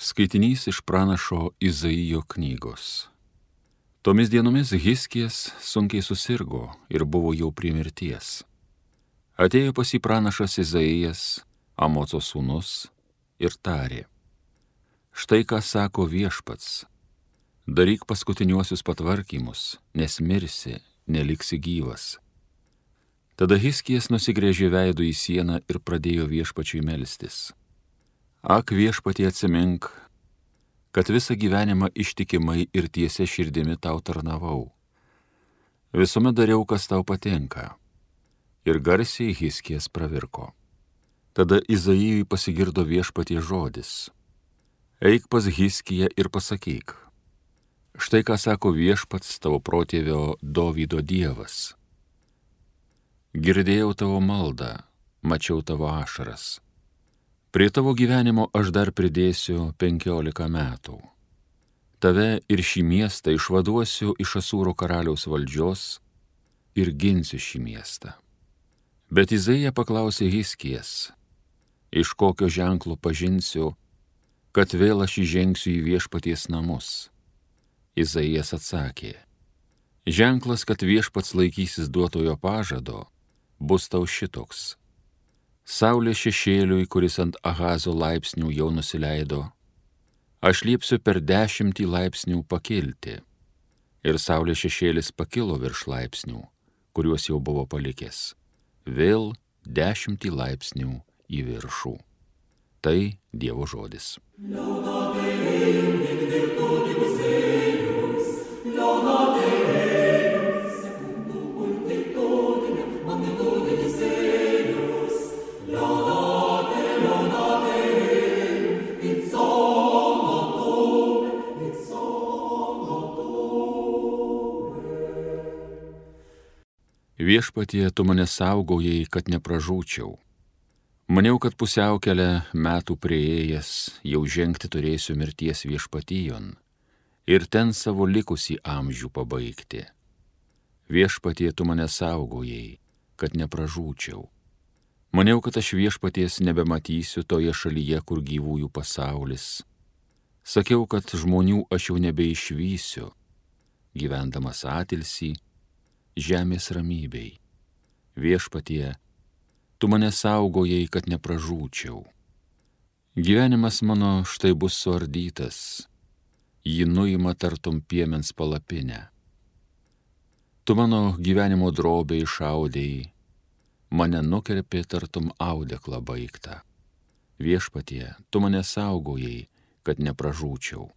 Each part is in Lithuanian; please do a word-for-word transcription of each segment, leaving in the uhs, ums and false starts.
Skaitinys iš pranašo Izaijo knygos. Tomis dienomis Hiskijas sunkiai susirgo ir buvo jau prie mirties. Atėjo pas jį pranašas Izaijas, Amoco sūnus, ir tarė: Štai ką sako Viešpats, daryk paskutiniuosius patvarkymus, nes mirsi, neliksi gyvas. Tada Hiskijas nusigręžė veidu į sieną ir pradėjo Viešpačiui melstis: Ak, Viešpatie, atsimink, kad visą gyvenimą ištikimai ir tiesia širdimi tau tarnavau. Visuomet dariau, kas tau patinka. Ir garsiai Hiskijas pravirko. Tada Izaijui pasigirdo Viešpatie žodis: Eik pas Hiskiją ir pasakyk: Štai ką sako Viešpats, tavo protėvio Dovydo Dievas. Girdėjau tavo maldą, mačiau tavo ašaras. Prie tavo gyvenimo aš dar pridėsiu penkiolika metų. Tave ir šį miestą išvaduosiu iš Asūro karaliaus valdžios ir ginsiu šį miestą. Bet Izaija paklausė Hiskijas: Iš kokio ženklo pažinsiu, kad vėl aš įžengsiu į Viešpaties namus? Izaijas atsakė: Ženklas, kad Viešpats laikysis duotojo pažado, bus tau šitoks. Saulė šešėliui, kuris ant Ahazo laipsnių jau nusileido, aš liepsiu per dešimtį laipsnių pakilti. Ir saulės šešėlis pakilo virš laipsnių, kuriuos jau buvo palikęs, vėl dešimtį laipsnių į viršų. Tai Dievo žodis. Viešpatie, tu mane saugojai, kad nepražūčiau. Maniau, kad pusiaukelę metų prieėjęs jau žengti turėsiu mirties viešpatijon ir ten savo likusį amžių pabaigti. Viešpatie, tu mane saugojai, kad nepražūčiau. Maniau, kad aš Viešpaties nebematysiu toje šalyje, kur gyvųjų pasaulis. Sakiau, kad žmonių aš jau nebeišvysiu, gyvendamas atilsį, žemės ramybei. Viešpatie, tu mane saugojai, kad nepražūčiau. Gyvenimas mano štai bus suardytas, jį nuima tartum piemens palapinę. Tu mano gyvenimo drobę išaudėjai, mane nukerpė tartum audeklą baigtą. Viešpatie, tu mane saugojai, kad nepražūčiau.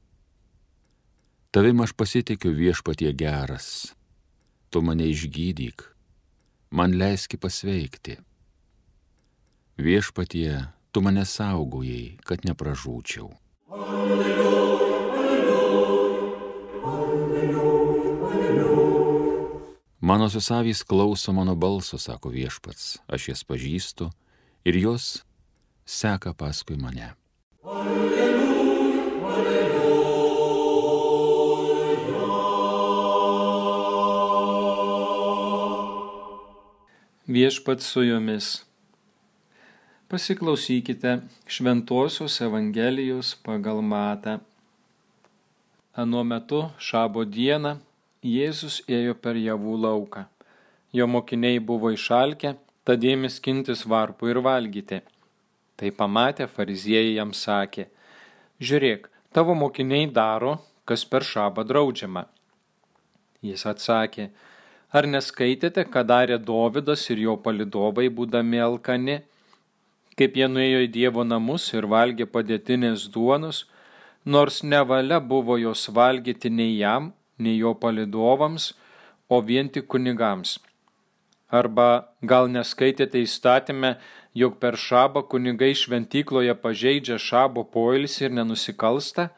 Tavim aš pasitikiu, Viešpatie geras. Tu mane išgydyk, man leiski pasveikti. Viešpatie, tu mane saugojai, kad nepražūčiau. Alleluja, alleluja, alleluja, alleluja. Mano susavys klauso mano balso, sako Viešpats, aš jas pažįstu ir jos seka paskui mane. Alleluja, alleluja. Viešpats su jumis. Pasiklausykite Šventosios Evangelijos pagal Matą. Anuo metu šabo dieną Jėzus ėjo per javų lauką. Jo mokiniai buvo išalkę, tad ėmė skintis varpų ir valgyti. Tai pamatę fariziejai jam sakė: Žiūrėk, tavo mokiniai daro, kas per šabą draudžiama. Jis atsakė: Ar neskaitėte, ką darė Dovydas ir jo palydovai, būdami alkani, kaip jie nuėjo į Dievo namus ir valgė padėtinės duonos, nors nevalia buvo jos valgyti nei jam, nei jo palydovams, o vien tik kunigams? Arba gal neskaitėte įstatyme, jog per šabą kunigai šventykloje pažeidžia šabo poilsį ir nenusikalsta?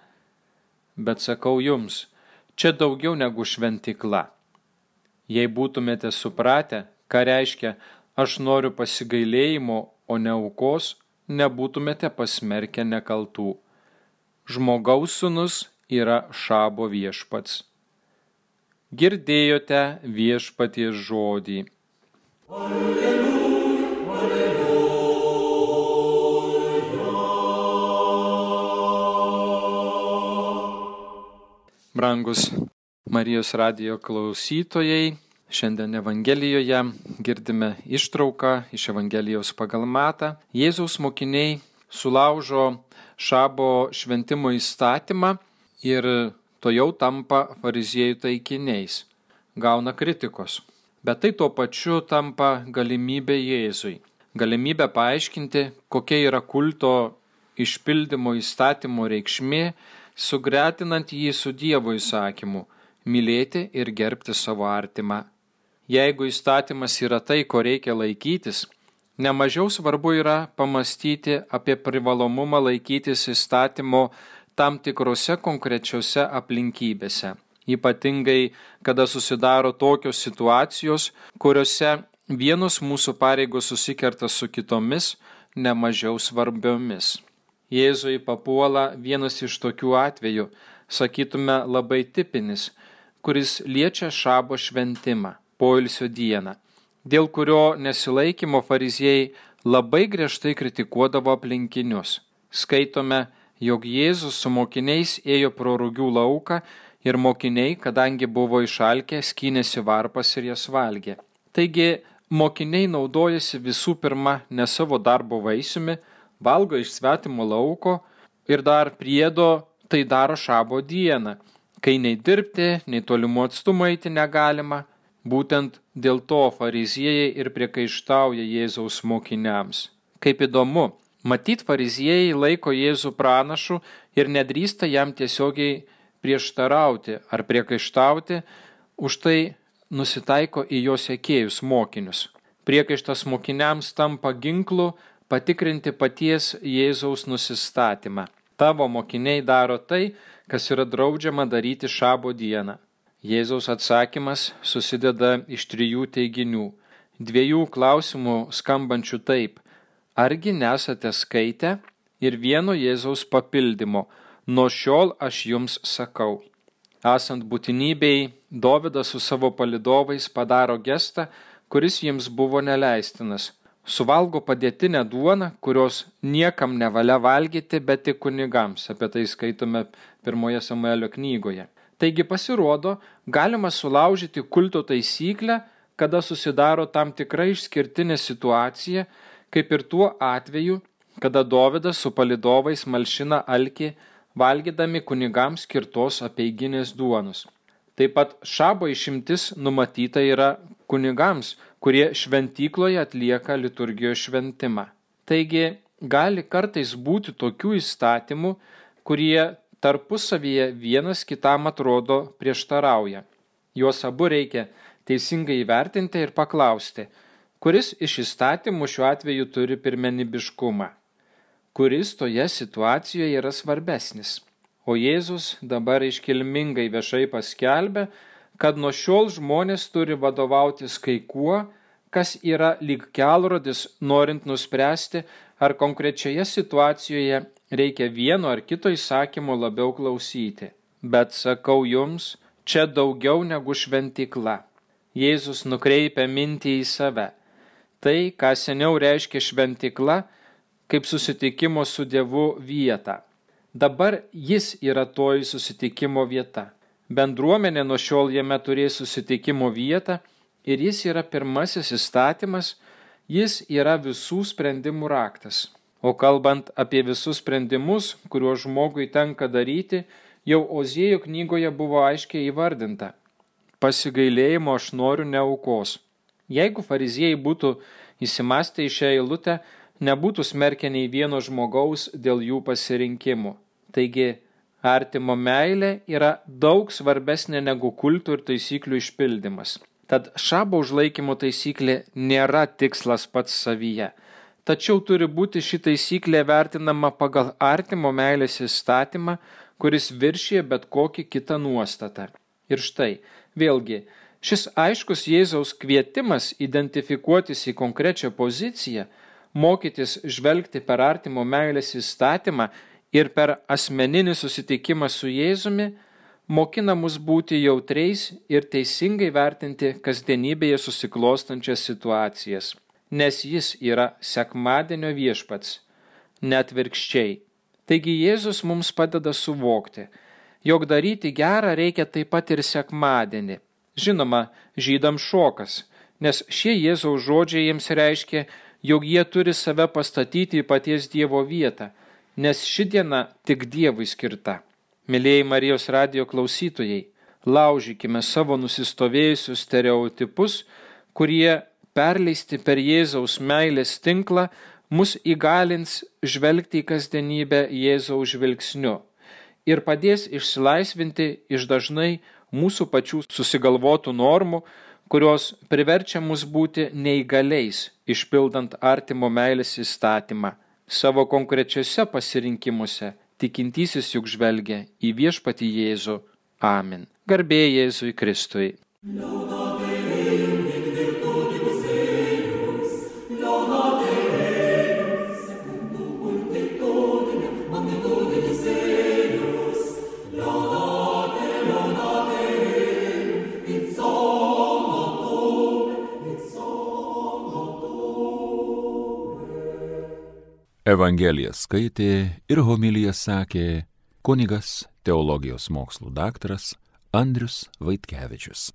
Bet sakau jums, čia daugiau negu šventykla. Jei būtumėte supratę, ką reiškia aš noriu pasigailėjimo, o ne aukos, nebūtumėte pasmerkę nekaltų. Žmogaus sūnus yra šabo viešpats. Girdėjote Viešpaties žodį. Alleluja, alleluja. Brangus Marijos radijo klausytojai, šiandien Evangelijoje girdime ištrauką iš Evangelijos pagal Matą. Jėzaus mokiniai sulaužo šabo šventimo įstatymą ir tojau tampa fariziejų taikiniais, gauna kritikos. Bet tai tuo pačiu tampa galimybė Jėzui, galimybė paaiškinti, kokia yra kulto išpildymo įstatymo reikšmė, sugretinant jį su Dievo įsakymu – mylėti ir gerbti savo artimą. Jeigu įstatymas yra tai, ko reikia laikytis, nemažiau svarbu yra pamastyti apie privalomumą laikytis įstatymo tam tikrose konkrečiose aplinkybėse. Ypatingai, kada susidaro tokios situacijos, kuriuose vienos mūsų pareigos susikerta su kitomis, nemažiau svarbiomis. Jėzui papuola vienas iš tokių atvejų, sakytume labai tipinis, kuris liečia šabo šventimą, poilsio dieną, dėl kurio nesilaikymo fariziejai labai griežtai kritikuodavo aplinkinius. Skaitome, jog Jėzus su mokiniais ėjo pro rugių lauką ir mokiniai, kadangi buvo išalkę, skynėsi varpas ir jas valgė. Taigi, mokiniai naudojasi visų pirma ne savo darbo vaisiumi, valgo iš svetimo lauko ir dar priedo tai daro šabo dieną, kai nei dirbti, nei tolimų atstumų eiti negalima. Būtent dėl to fariziejai ir priekaištauja Jėzaus mokiniams. Kaip įdomu, matyt, fariziejai laiko Jėzų pranašu ir nedrįsta jam tiesiogiai prieštarauti ar priekaištauti, už tai nusitaiko į jo sekėjus mokinius. Priekaištas mokiniams tampa ginklu patikrinti paties Jėzaus nusistatymą. Tavo mokiniai daro tai, kas yra draudžiama daryti šabo dieną. Jėzaus atsakymas susideda iš trijų teiginių, dviejų klausimų skambančių taip: argi nesate skaitę, ir vieno Jėzaus papildymo: nuo šiol aš jums sakau. Esant būtinybei, Dovydas su savo palydovais padaro gestą, kuris jiems buvo neleistinas. Suvalgo padėtinę duoną, kurios niekam nevalia valgyti, bet tik kunigams. Apie tai skaitome pirmoje Samuelio knygoje. Taigi pasirodo, galima sulaužyti kulto taisyklę, kada susidaro tam tikra išskirtinė situacija, kaip ir tuo atveju, kada Dovydas su palydovais malšina alkį, valgydami kunigams skirtos apeiginės duonos. Taip pat šabo išimtis numatyta yra kunigams, kurie šventykloje atlieka liturgijos šventimą. Taigi, gali kartais būti tokių įstatymų, kurie tarpusavyje vienas kitam atrodo prieštarauja. Juos abu reikia teisingai įvertinti ir paklausti, kuris iš įstatymų šiuo atveju turi pirmenybiškumą, kuris toje situacijoje yra svarbesnis. O Jėzus dabar iškilmingai viešai paskelbė, kad nuo šiol žmonės turi vadovautis kai kuo, kas yra lyg kelrodis, norint nuspręsti, ar konkrečioje situacijoje reikia vieno ar kito įsakymo labiau klausyti. Bet sakau jums, čia daugiau negu šventykla. Jėzus nukreipia mintį į save. Tai, ką seniau reiškia šventykla, kaip susitikimo su Dievu vieta. Dabar jis yra toji susitikimo vieta. Bendruomenė nuo šiol jame turės susitikimo vietą ir jis yra pirmasis įstatymas, jis yra visų sprendimų raktas. O kalbant apie visus sprendimus, kuriuos žmogui tenka daryti, jau Ozėjo knygoje buvo aiškiai įvardinta: pasigailėjimo aš noriu, ne aukos. Jeigu fariziejai būtų įsimąstę į šią eilutę, nebūtų smerkę nei vieno žmogaus dėl jų pasirinkimų. Taigi, artimo meilė yra daug svarbesnė negu kultų ir taisyklių išpildymas. Tad šabo užlaikymo taisyklė nėra tikslas pats savyje, tačiau turi būti ši taisyklė vertinama pagal artimo meilės įstatymą, kuris viršyje bet kokį kitą nuostatą. Ir štai, vėlgi, šis aiškus Jėzaus kvietimas identifikuotis į konkrečią poziciją, mokytis žvelgti per artimo meilės įstatymą ir per asmeninį susitikimą su Jėzumi, mokina mus būti jautriais ir teisingai vertinti kasdienybėje susiklostančias situacijas, nes jis yra sekmadienio viešpats, net virkščiai. Taigi Jėzus mums padeda suvokti, jog daryti gerą reikia taip pat ir sekmadienį. Žinoma, žydams šokas, nes šie Jėzaus žodžiai jiems reiškia, jog jie turi save pastatyti į paties Dievo vietą, nes ši diena tik Dievui skirta. Mylėjai Marijos radijo klausytojai, laužykime savo nusistovėjusius stereotipus, kurie perleisti per Jėzaus meilės tinklą mus įgalins žvelgti į kasdienybę Jėzaus žvilgsniu ir padės išsilaisvinti iš dažnai mūsų pačių susigalvotų normų, kurios priverčia mus būti neįgaliais, išpildant artimo meilės įstatymą. Savo konkrečiuose pasirinkimuose tikintysis juk žvelgia į viešpatį Jėzų. Amen. Garbė Jėzui Kristui. Evangeliją skaitė ir homiliją sakė kunigas teologijos mokslų daktaras Andrius Vaitkevičius.